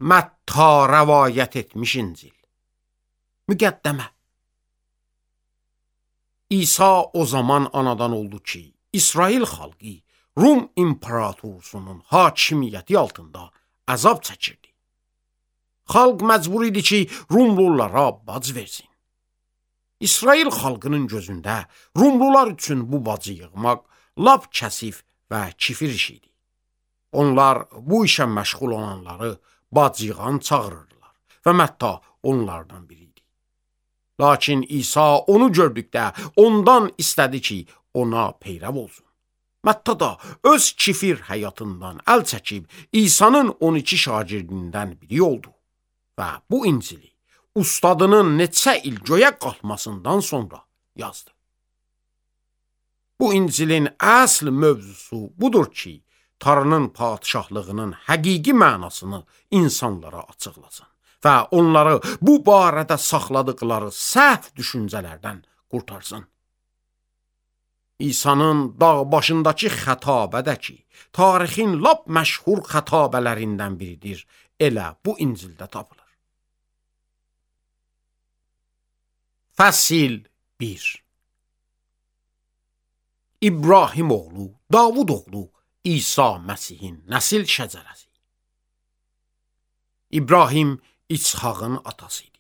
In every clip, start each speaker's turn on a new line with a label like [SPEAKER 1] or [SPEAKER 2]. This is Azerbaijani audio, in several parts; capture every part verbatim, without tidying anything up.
[SPEAKER 1] Mətta rəvayət etmiş İncil. Müqəddəmə. İsa o zaman anadan oldu ki, İsrail xalqı Rum imperatorsunun hakimiyyəti altında əzab çəkirdi. Xalq məcbur idi ki, Rumlulara bac versin. İsrail xalqının gözündə Rumlular üçün bu bacı yığmaq lap kəsif və kifir iş idi. Onlar bu işə məşğul olanları bacıyığan çağırırdılar və Mətta onlardan biri idi. Lakin İsa onu gördükdə ondan istədi ki, ona peyrəv olsun. Mətta da öz kifir həyatından əl çəkib İsa'nın on iki şagirdindən biri oldu və bu İncili ustadının neçə il göyə qalxmasından sonra yazdı. Bu İncilin əsl mövzusu budur ki, Tanrının padişahlığının həqiqi mənasını insanlara açıqlasın və onları bu barədə saxladıqları səhv düşüncələrdən qurtarsın. İsa'nın dağ başındakı xətabədə ki, tarixin lap məşhur xətabələrindən biridir, elə bu İncildə tapılır. Fəsil bir. İbrahim oğlu, Davud oğlu, İsa Məsihin nəsil şəcərəsi. İbrahim İshağın atası idi.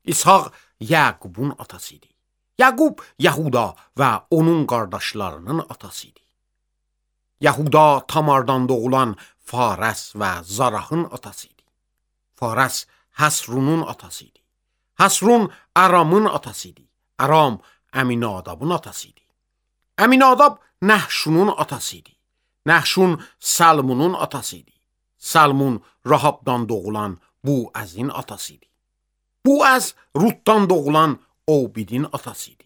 [SPEAKER 1] İshaq Yaqubun atası idi. Yaqub Yahuda və onun qardaşlarının atası idi. Yahuda Tamardan doğulan Fares və Zarahın atası idi. Fares Həsrunun atası idi. Həsrun Aramın atası idi. Aram Əminadabın atası idi. Əminadab Nəhşunun atası idi. Nəhşun Salmunun atası idi. Salmun Rahabdan doğulan Buəzin atası idi. Buəz Rutdan doğulan Obidin atası idi.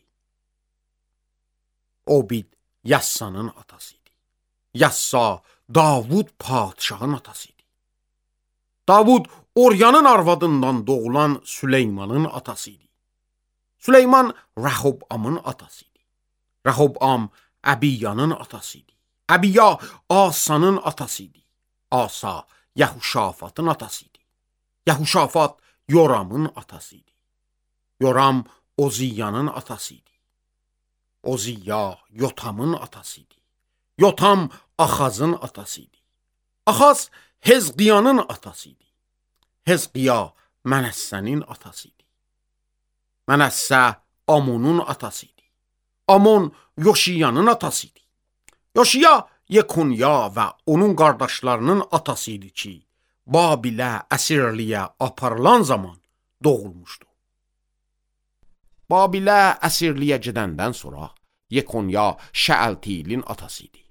[SPEAKER 1] Obid Yassanın atası idi. Yassa Davud padişahın atası idi. Davud Oryanın arvadından doğulan Süleymanın atası idi. Süleyman Rəhobamın atası idi. Rəhobam Əbiyanın atası idi. Əbiya Asanın atası idi. Asa Yəhuşafatın atası idi. Yəhuşafat Yoramın atası idi. Yoram Oziyanın atası idi. Oziya Yotamın atası idi. Yotam Axazın atası idi. Axaz Hezqiyanın atası idi. Hezqiya Mənəssənin atası idi. Mənəssə Amonun atası idi. Amon Yoşiyanın atası idi. Yoşiya Yekunya və onun qardaşlarının atası idi ki, Babilə əsirliyə aparılan zaman doğulmuşdu. Babilə əsirliyə gedəndən sonra Yekunya Şəəltiilin atası idi.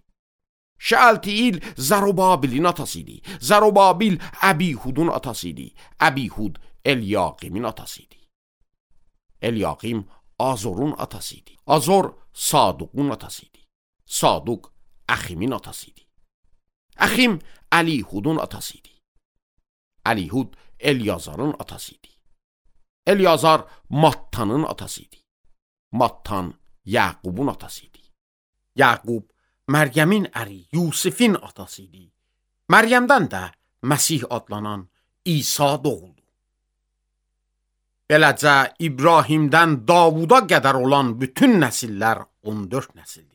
[SPEAKER 1] Şəəltiil Zərubabilin atası idi. Zərubabil Əbihudun atası idi. Əbihud Elyaqimin atası idi. Elyaqim Azorun atası idi. Azor Saduqun atası idi. Saduq Əximin atası idi. Əxim Əlihudun atası idi. Əlihud Elyazarın atası idi. Elyazar Mattanın atası idi. Mattan Yaqubun atası idi. Yaqub Məryəmin əri Yusifin atası idi. Məryəmdən də Məsih adlanan İsa doğuldu. Beləcə İbrahimdən Davuda qədər olan bütün nəsillər on dörd nəsildir.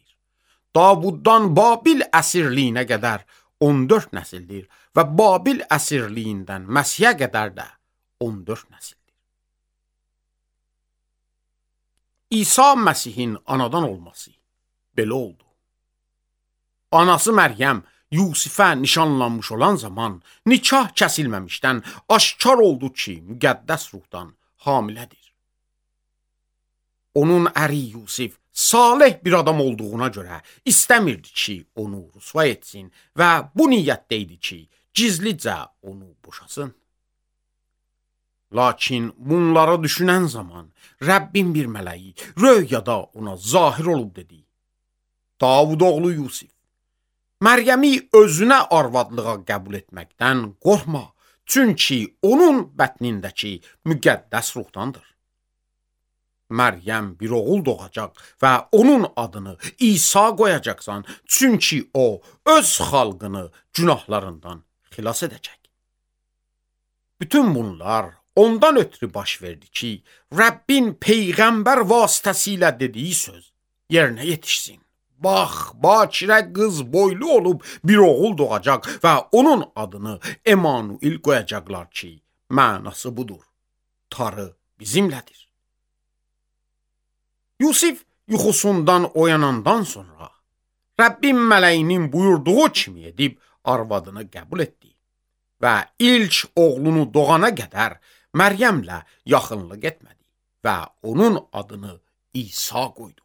[SPEAKER 1] Davuddan Babil əsirliyinə qədər on dörd nəsildir və Babil əsirliyindən Məsihə qədər də on dörd nəsildir. İsa Məsihin anadan olması belə oldu. Anası Məryəm Yusifə nişanlanmış olan zaman nikah kəsilməmişdən aşkar oldu ki, müqəddəs ruhdan hamilədir. Onun əri Yusif salih bir adam olduğuna görə istəmirdi ki, onu rüsva etsin və bu niyyətdə idi ki, gizlicə onu boşasın. Lakin bunları düşünən zaman Rəbbin bir mələyi röyada ona zahir olub dedi: Davud oğlu Yusif, Məryəmi özünə arvadlığa qəbul etməkdən qorxma, çünki onun bətnindəki müqəddəs ruhdandır. Məryəm bir oğul doğacaq və onun adını İsa qoyacaqsan, çünki o, öz xalqını günahlarından xilas edəcək. Bütün bunlar ondan ötürü baş verdi ki, Rəbbin Peyğəmbər vasitəsilə dediyi söz yerinə yetişsin. Bax, Bakirə qız boylu olub bir oğul doğacaq və onun adını Emanuil qoyacaqlar ki, mənası budur. Tanrı bizimlədir. Yusif yuxusundan oyanandan sonra Rəbbin mələyinin buyurduğu kimi edib arvadını qəbul etdi və ilk oğlunu doğana qədər Məryəmlə yaxınlıq etmədi və onun adını İsa qoydu.